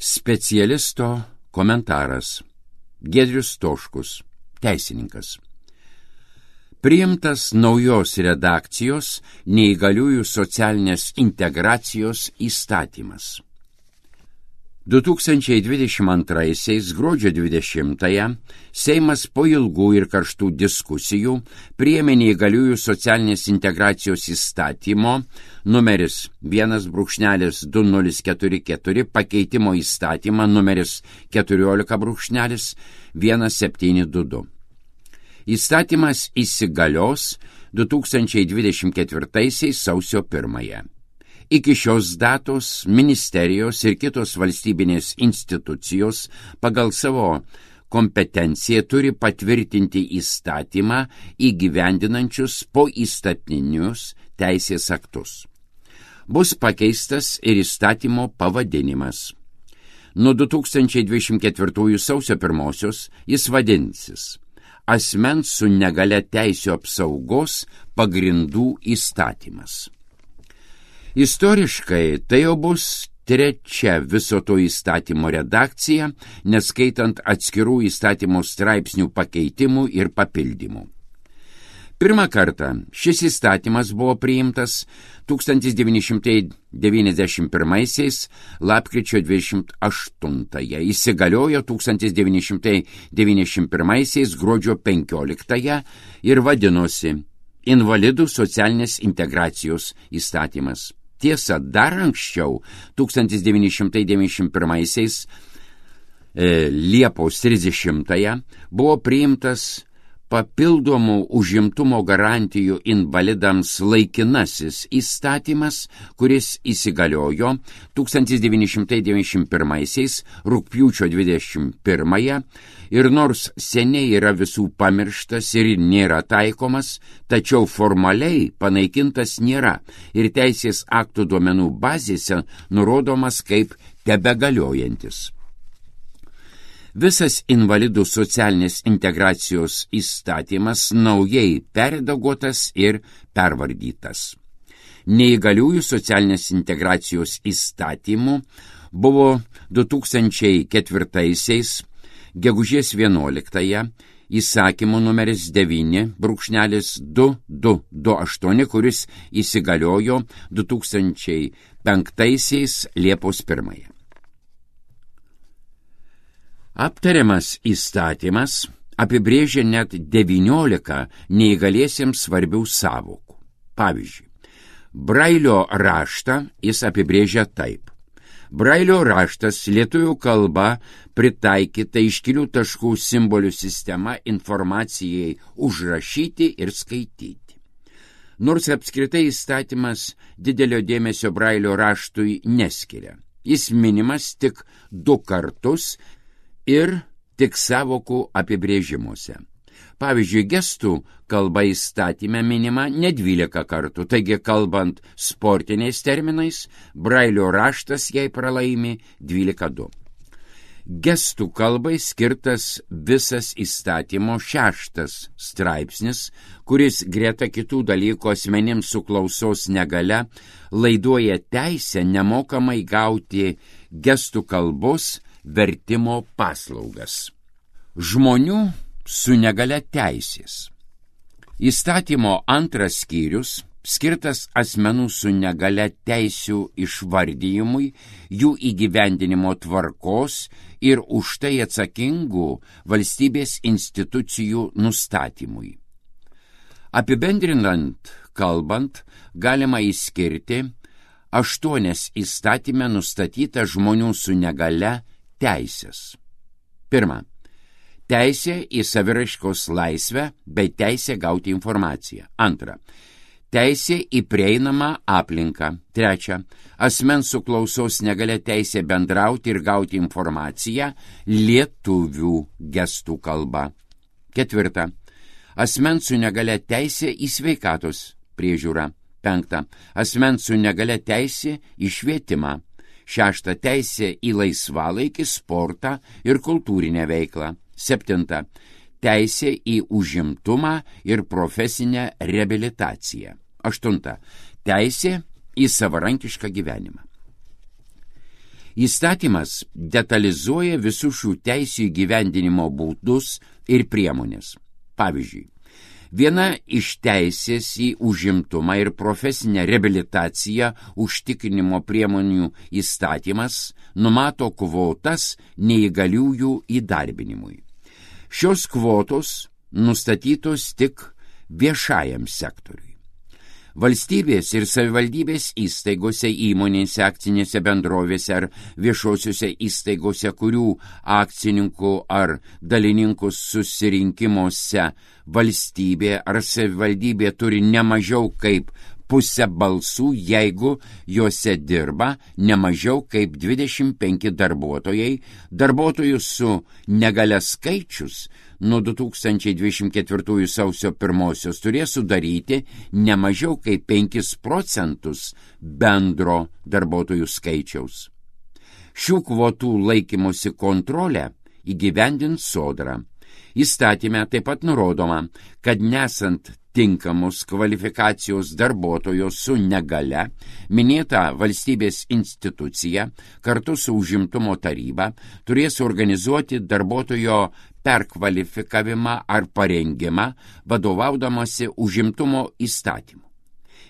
Specialisto komentaras. Giedrius Stoškus, teisininkas. Priimtas naujos redakcijos neįgaliųjų socialinės integracijos įstatymas. 2022 gruodžio 20-ąją Seimas po ilgų ir karštų diskusijų priėmė neįgaliųjų socialinės integracijos įstatymo numeris 1/2044 pakeitimo įstatymą numeris 14/1722. Įstatymas įsigalios 2024 sausio 1. Iki šios datos ministerijos ir kitos valstybinės institucijos pagal savo kompetenciją turi patvirtinti įstatymą įgyvendinančius poįstatinius teisės aktus. Bus pakeistas ir įstatymo pavadinimas. Nuo 2024 sausio 1 jis vadinsis Asmens su negalia teisių apsaugos pagrindų įstatymas. Istoriškai tai jau bus trečia viso to įstatymo redakcija, neskaitant atskirų įstatymo straipsnių pakeitimų ir papildymų. Pirmą kartą šis įstatymas buvo priimtas 1991 lapkričio 28, įsigaliojo 1991 gruodžio 15 ir vadinosi Invalidų socialinės integracijos įstatymas. Tiesa, dar anksčiau, 1991 Liepos 30 buvo priimtas papildomų užimtumo garantijų invalidams laikinasis įstatymas, kuris įsigaliojo 1991 rugpjūčio 21 ir nors seniai yra visų pamirštas ir nėra taikomas, tačiau formaliai panaikintas nėra ir teisės aktų duomenų bazėse nurodomas kaip tebegaliojantis. Visas invalidų socialinės integracijos įstatymas naujai perredaguotas ir pervardytas. Neįgaliųjų socialinės integracijos įstatymų buvo 2004 gegužės 11 įsakymo numeris 9/2228, kuris įsigaliojo 2005 Liepos 1. Aptariamas įstatymas apibrėžia net 19 neįgaliesiems svarbių sąvokų. Pavyzdžiui, Brailio raštą jis apibrėžia taip. Brailio raštas lietuvių kalba pritaikyta iškilių taškų simbolių sistema informacijai užrašyti ir skaityti. Nors apskritai įstatymas didelio dėmesio Brailio raštui neskiria. Jis minimas tik 2 kartus ir tik sąvokų apibrėžimuose. Pavyzdžiui, gestų kalba įstatyme minima ne 12 kartų, taigi kalbant sportiniais terminais, Brailio raštas jai pralaimi 12-2. Gestų kalbai skirtas visas įstatymo 6 straipsnis, kuris greta kitų dalykų asmenims su klausos negalia laiduoja teisę nemokamai gauti gestų kalbos vertimo paslaugas. Žmonių su negalia teisės. Įstatymo 2 skyrius skirtas asmenų su negalia teisių išvardijimui, jų įgyvendinimo tvarkos ir už tai atsakingų valstybės institucijų nustatymui. Apibendrinant kalbant, galima išskirti 8 įstatyme nustatyta žmonių su negalia teisės. 1. Teisė į saviraiškos laisvę bei teisė gauti informaciją. 2. Teisė į prieinamą aplinką. 3. Asmens su klausos negalia teisė bendrauti ir gauti informaciją lietuvių gestų kalba. 4. Asmens su negalia teisė į sveikatos priežiūrą. 5. Asmens su negalia teisė į švietimą. 6. Teisė į laisvalaikį, sportą ir kultūrinę veiklą. 7. Teisė į užimtumą ir profesinę reabilitaciją. 8. Teisė į savarankišką gyvenimą. Įstatymas detalizuoja visų šių teisių įgyvendinimo būdus ir priemonės. Pavyzdžiui, viena iš teisės į užimtumą ir profesinę reabilitaciją užtikrinimo priemonių įstatymas numato kvotas neįgaliųjų įdarbinimui. Šios kvotos nustatytos tik viešajam sektoriui. Valstybės ir savivaldybės įstaigose, įmonėse, akcinėse bendrovėse ar viešosiuose įstaigose, kurių akcininkų ar dalininkų susirinkimuose valstybė ar savivaldybė turi ne mažiau kaip pusę balsų, jeigu juose dirba ne mažiau kaip 25 darbuotojai, darbuotojų su negalia skaičius nuo 2024 sausio 1 turės sudaryti ne mažiau kaip 5 procentus bendro darbuotojų skaičiaus. Šių kvotų laikymosi kontrolę įgyvendins Sodra. Įstatyme taip pat nurodoma, kad nesant tinkamos kvalifikacijos darbuotojo su negale, minėta valstybės institucija kartu su užimtumo taryba turės organizuoti darbuotojo perkvalifikavimą ar parengimą vadovaudamasi užimtumo įstatymu.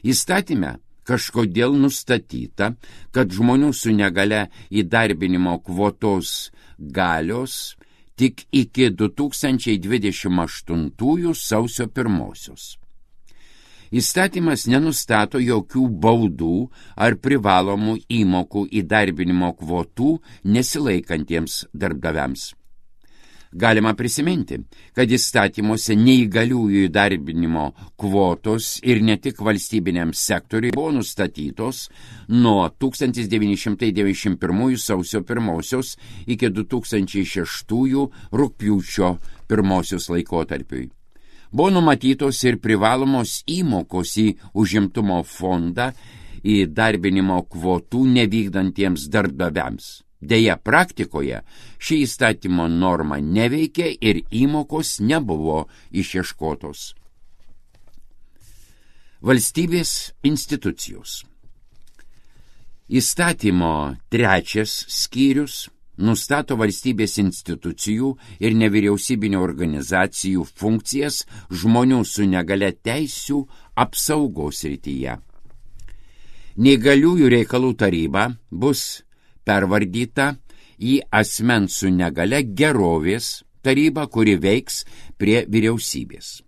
Įstatyme kažkodėl nustatyta, kad žmonių su negale įdarbinimo kvotos galios tik iki 2028 sausio 1. Įstatymas nenustato jokių baudų ar privalomų įmokų įdarbinimo kvotų nesilaikantiems darbdaviams. Galima prisiminti, kad įstatymuose neįgaliųjų įdarbinimo kvotos ir ne tik valstybiniam sektoriui buvo nustatytos nuo 1991 sausio 1 iki 2006 rugpjūčio 1 laikotarpiui. Buvo numatytos ir privalomos įmokos į užimtumo fondą įdarbinimo kvotų nevykdantiems darbdaviams. Deja, praktikoje ši įstatymo norma neveikia ir įmokos nebuvo išieškotos. Valstybės institucijos. Įstatymo 3 skyrius nustato valstybės institucijų ir nevyriausybinių organizacijų funkcijas žmonių su negale teisių apsaugos srityje. Neįgaliųjų reikalų taryba bus pervardyta į asmens su negale gerovės tarybą, kuri veiks prie vyriausybės.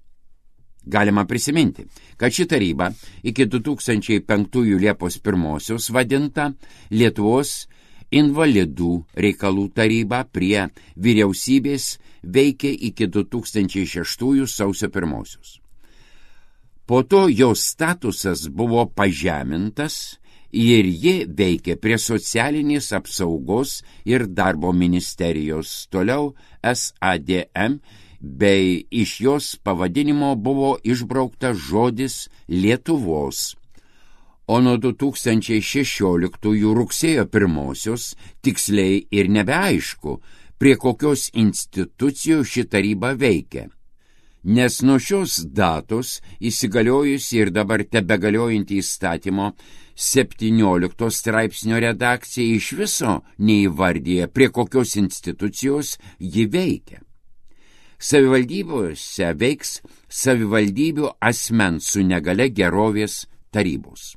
Galima prisiminti, kad ši taryba iki 2005 Liepos 1 vadinta Lietuvos invalidų reikalų taryba prie vyriausybės veikė iki 2006 sausio 1. Po to jos statusas buvo pažemintas ir ji veikė prie socialinės apsaugos ir darbo ministerijos, toliau SADM, bei iš jos pavadinimo buvo išbrauktas žodis Lietuvos. O nuo 2016 rugsėjo 1 tiksliai ir nebeaišku, prie kokios institucijos ši taryba veikia. Nes nuo šios datos įsigaliojusi ir dabar tebegaliojanti įstatymo 17 straipsnio redakcija iš viso neįvardyja, prie kokios institucijos ji veikia. Savivaldybėse veiks savivaldybių asmens su negale gerovės tarybos.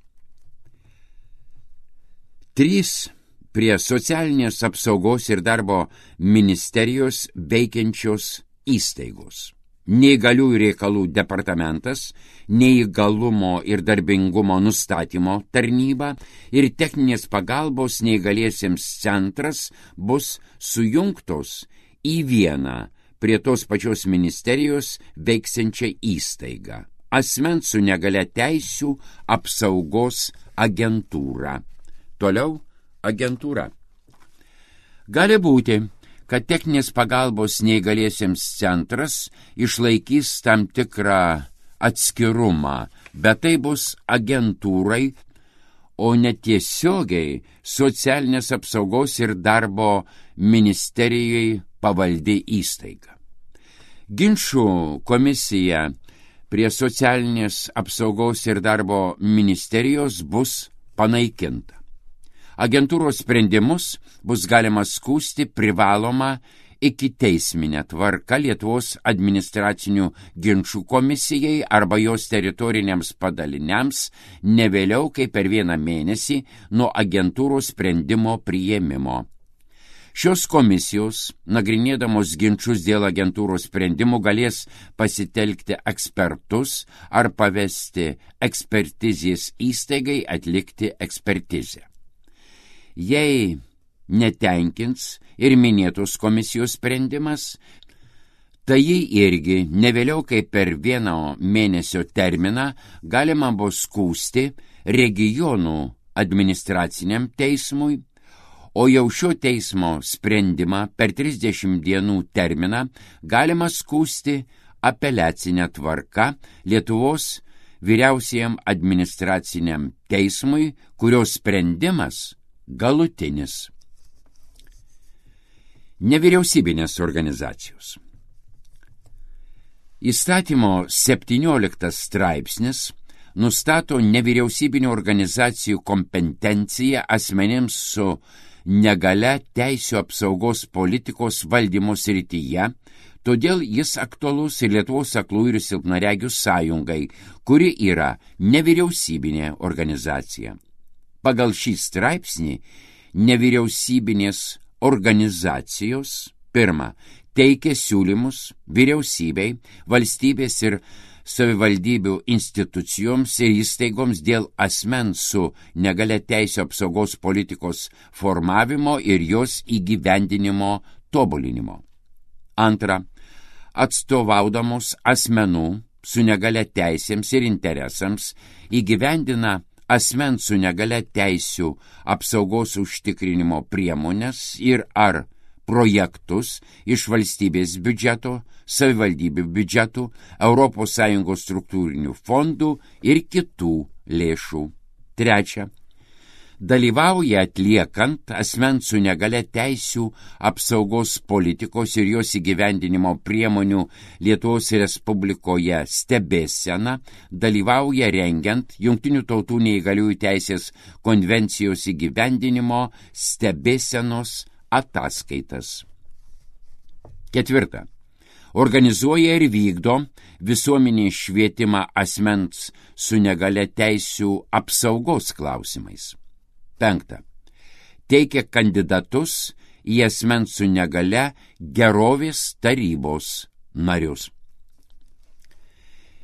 3 prie socialinės apsaugos ir darbo ministerijos veikiančios įstaigos. Neįgaliųjų reikalų departamentas, neįgalumo ir darbingumo nustatymo tarnyba ir techninės pagalbos neįgaliesiems centras bus sujungtos į vieną prie tos pačios ministerijos veiksiančią įstaigą – asmens su negale teisių apsaugos agentūra. Toliau agentūra. Gali būti, kad techninės pagalbos neįgaliesiems centras išlaikys tam tikrą atskirumą, bet tai bus agentūrai, o netiesiogiai socialinės apsaugos ir darbo ministerijai pavaldi įstaiga. Ginčų komisija prie socialinės apsaugos ir darbo ministerijos bus panaikinta. Agentūros sprendimus bus galima skųsti privaloma ikiteisminė tvarka Lietuvos administracinių ginčų komisijai arba jos teritoriniams padaliniams ne vėliau kaip per 1 mėnesį nuo agentūros sprendimo priėmimo. Šios komisijos, nagrinėdamos ginčus dėl agentūros sprendimų, galės pasitelkti ekspertus ar pavesti ekspertizės įstaigai atlikti ekspertizę. Jei netenkins ir minėtos komisijos sprendimas, tai jį irgi ne vėliau kaip per 1 mėnesio terminą galima bus skųsti regionų administraciniam teismui, o jau šio teismo sprendimą per 30 dienų terminą galima skųsti apeliacinę tvarką Lietuvos vyriausiajam administraciniam teismui, kurios sprendimas galutinis. Nevyriausybinės organizacijos. Įstatymo 17 straipsnis nustato nevyriausybinių organizacijų kompetenciją asmenims su negalia teisių apsaugos politikos valdymo srityje, todėl jis aktualus ir Lietuvos aklųjų ir silpnaregių sąjungai, kuri yra nevyriausybinė organizacija. Pagal šį straipsnį nevyriausybinės organizacijos pirma teikia siūlymus vyriausybei, valstybės ir savivaldybių institucijoms ir įstaigoms dėl asmens su negalia teisių apsaugos politikos formavimo ir jos įgyvendinimo tobulinimo. Antra, atstovaudamos asmenų su negalia teisėms ir interesams įgyvendina asmens su negalia teisių apsaugos užtikrinimo priemonės ir ar projektus iš valstybės biudžeto, savivaldybių biudžetų, ES struktūrinių fondų ir kitų lėšų. Trečia, dalyvauja atliekant asmens su negalia teisių apsaugos politikos ir jos įgyvendinimo priemonių Lietuvos Respublikoje stebėseną, dalyvauja rengiant Jungtinių tautų neįgaliųjų teisės konvencijos įgyvendinimo stebėsenos ataskaitas. Ketvirta. Organizuoja ir vykdo visuomenį švietimą asmens su negalia teisių apsaugos klausimais. Penkta. Teikia kandidatus į asmens su negalia gerovės tarybos narius.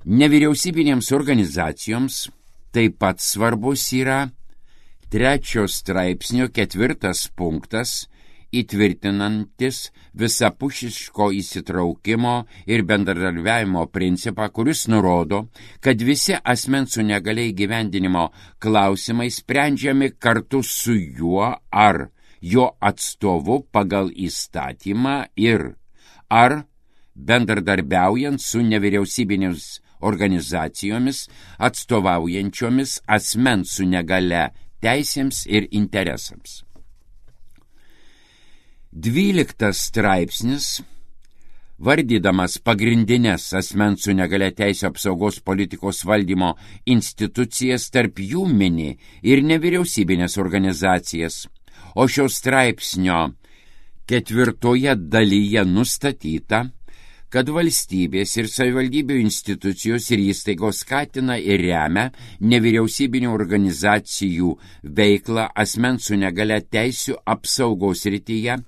Nevyriausybinėms organizacijoms taip pat svarbus yra 3 straipsnio 4 punktas įtvirtinantis visapusiško įsitraukimo ir bendradarbiavimo principą, kuris nurodo, kad visi asmens su negalia įgyvendinimo klausimai sprendžiami kartu su juo ar jo atstovu pagal įstatymą ir ar bendradarbiaujant su nevyriausybinėmis organizacijomis atstovaujančiomis asmens su negalia teisėms ir interesams. 12 straipsnis, vardydamas pagrindinės asmens su negalia teisių apsaugos politikos valdymo institucijas, tarp jų mini ir nevyriausybinės organizacijas, o šio straipsnio 4 dalyje nustatyta, kad valstybės ir savivaldybių institucijos ir įstaigos skatina ir remia nevyriausybinių organizacijų veiklą asmens su negalia teisių apsaugos srityje,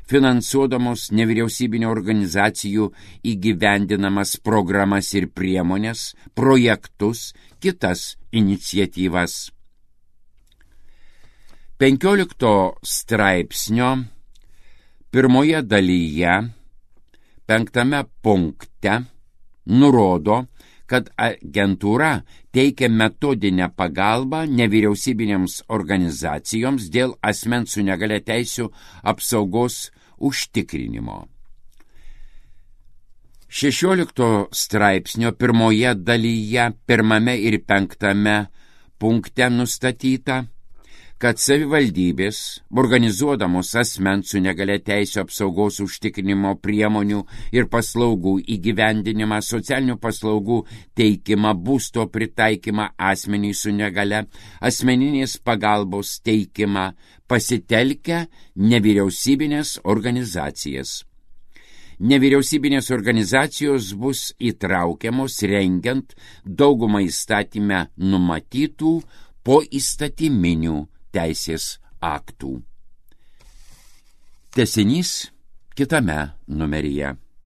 finansuodamos nevyriausybinių organizacijų įgyvendinamas programas ir priemonės, projektus, kitas iniciatyvas. 15 straipsnio 1 dalyje 5 punkte nurodo, kad agentūra teikia metodinę pagalbą nevyriausybinėms organizacijoms dėl asmens su negalia teisių apsaugos užtikrinimo. 16 straipsnio 1 dalyje 1 ir 5 punkte nustatyta, kad savivaldybės, organizuodamos asmens su negalia teisių apsaugos užtikrinimo priemonių ir paslaugų įgyvendinimą, socialinių paslaugų teikimą, būsto pritaikymą asmeniui su negalia, asmeninės pagalbos teikimą, pasitelkę nevyriausybinės organizacijas. Nevyriausybinės organizacijos bus įtraukiamos rengiant daugumą įstatyme numatytų poįstatyminių teisės aktų. Tęsinys kitame numeryje.